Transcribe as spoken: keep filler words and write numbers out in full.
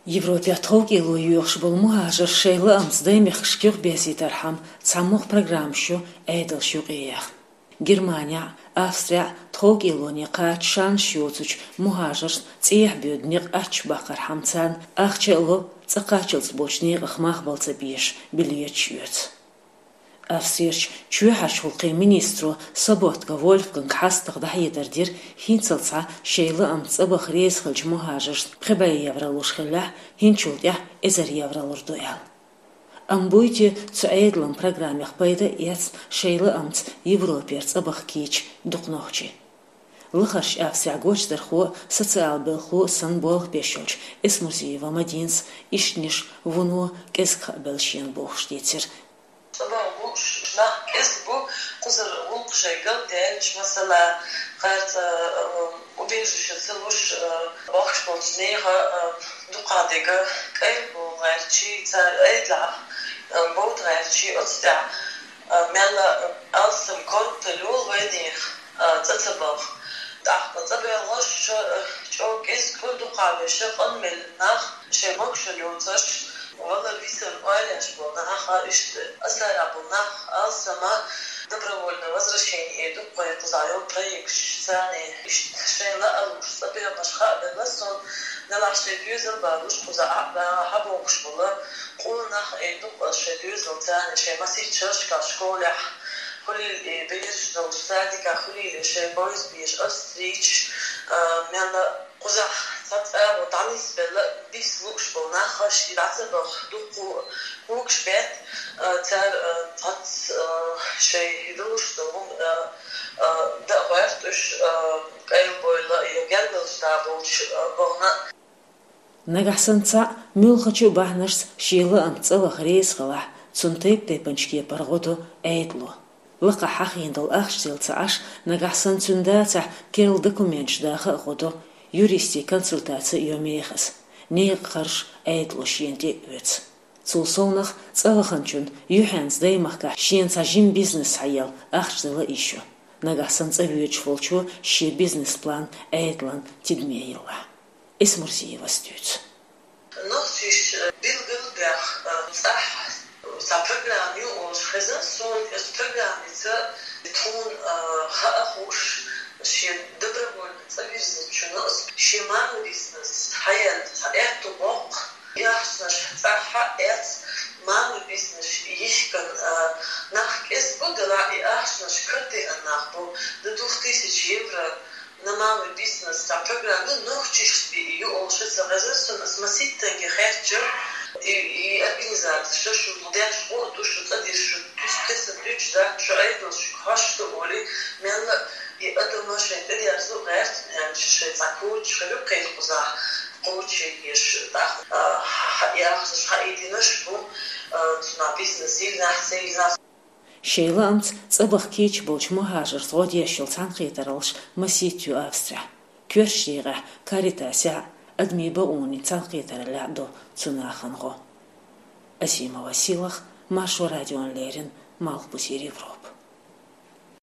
Европехь тховкӀело йоьхуш болу мухӀажарш шайн лаамца даймехкашка юхаберзийтархьама цхьамогӀа программаш ю Ӏедалша юкъаяьхна. Германехь а, Австрехь а тховкӀелоне кхача шанаш йоцучу мухӀажаршна цӀехьа боьду некъ аччахбаккхархьама царна ахча а ло, цӀа кхаччалц болчу некъах мах бала ца безаш билеташ оьцу. Австрерчу чоьхьарчу гӀуллакхийн министро Соботка Вольфганга хьастагӀа дӀахьедар дира, хӀинццалц шайн лаамца цӀа баха реза хиллачу мухӀажаршна пхи бӀе евро луш хиллехь, хӀинцачул тӀаьхьа эзар евро лур ду аьлла. Амма буй те цу Ӏедалан программех пайда а эцна шайн лаамца Европера цӀа баха кийча дукха нохчий? Лахарчу Австрехь гочдархо а, социал белхало а санна болх беш йолчу Эсмурзиева Мадинас ишттанаш вуно кӀезиг хаа белла шена бохуш дийцира. Цу боху лууш нах кӀезиг бу, кхузара гӀуллакх шайн галдаьлча, масала, харца, э, убежище ца луш, э, бохкуш болчу нехан, э, дукха дерг кӀел бовла гӀертачий, цара Ӏедалехь, э, бовда гӀертачий, оцу тӀехь, э, мелла, э, алсам корта лоьлу вайнех, э, цӀа ца баха. ТӀаккха цӀа боьлхуш, э, чӀогӀа кӀезиг бу дукха беша къанвелла нах, шайн могашалла йоцуш, валар висар ойла еш болу нах, иштта асарахь болу нах, алсам, добровольное возвращение ду-кх вайн кхузахь йолу проекташ, царна иштта шайн лаалуш цӀа баьхнарш хаабелла суна, делахь шайн доьзал балуш кхузахь а баха бохуш болу къона нах а ду-кх шайн доьзалца, царна шайн масийтта шерашкахь школехь хуьлийла и бераш долуш, садикехь хуьлийла и шайн бойза беш, австрийцаш, а, мелла кхузахь цхьацца агӀо дӀанисбелла, биса лууш болу нах, шаьш дӀа ца баха дуккха а когаш бетта, а, цара, а, цхьацца, а, шайн далуш долу хӀума, а, а, дан гӀоьртуш, а, къайлабойла, я гергарлуш да болчу, а, бахана. Нагахь санна цхьаъ муьлххачу а бахьанашца шен лаамца цӀа ваха реза хилахь, цунна тайп-тайпанчу кепара гӀо до Ӏедало. Лакхахь хьахийна долу ахча дилла ца Ӏаш, нагахь санна цуьнан дацахь керла документаш даха а гӀо до, юристийн консультаци а йо мехаза. Некъан харж Ӏедало шена тӀе а оьцу. Цул совнаха цӀа ваханчунна юьхьанца даймахкахь шена цхьа жима бизнес схьаелла ахча дала йиш ю, нагахь санна цӀа воьдуш волчо шен бизнес-план Ӏедална тидаме елахь. Эсмурзиевас дуьйцу. Нохчийчоьнна билгалбаьхна, э, цӀахь цхьа программа ю олуш хезна суна, оцу программица тхуна, э, хаа хууш, шен добровольно цӀа вирзинчунна оцу шен малый бизнес схьаелла цхьа аьтту боккху, и ахчанаш цӀахь а эцна, малый бизнес йихкина, э, нах кӀезиг бу, делахь и ахчанаш карадеана нах бу, до двух тысяч евро. На малый бизнес цхьа программа ю, нохчашца бен ю олуш ца хезна суна, ас масийттанге хаьттича, и, и организацеш шу деш гӀо а ду, шу цӀа деш, шу туьйсу кхетам дуьйцуш дац, шу Ӏедалша хьошуш ду олий, мелла и адамаш шайн тӀедерзо гӀерташ, шайн цхьа коучаш хир ю кхеран кхузахь, коучинг еш, тӀаккха, а, хьа-, хьа-, яхаш, хьаийдинарш бу, а, цунах бизнес йиллинехь, ца йиллинехь. Шайн лаамца цӀа баха кийча болчу мухӀажаршца гӀо деш йолу цхьаьнакхетараллаш масийтта ю Австрехь. Коьртачу декъехь Каритасехь а, адамийн бакъонийн цхьаьнакхетараллехь а до цу нахана гӀо. Азима Василах, Маршо радиона леррина, Малхбузера Европа.